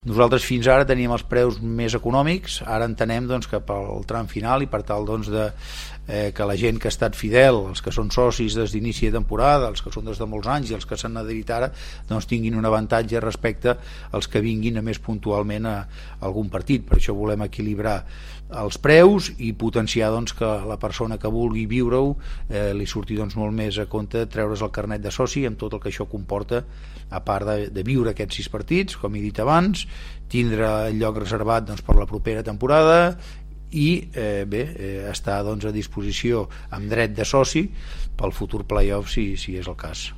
Nosaltres fins ara teníem els preus més econòmics, ara entenem doncs, que pel tram final i per tal doncs, que la gent que ha estat fidel, els que són socis des d'inici de temporada, els que són des de molts anys i els que s'han adherit ara, doncs tinguin un avantatge respecte als que vinguin a més puntualment a algun partit. Per això volem equilibrar els preus i potenciar doncs, que la persona que vulgui viure-ho li surti doncs, molt més a compte treure's el carnet de soci amb tot el que això comporta, a part de viure aquests 6 partits, com he dit abans, tindre el lloc reservat doncs, per la propera temporada i estar doncs, a disposició amb dret de soci pel futur playoff si és el cas.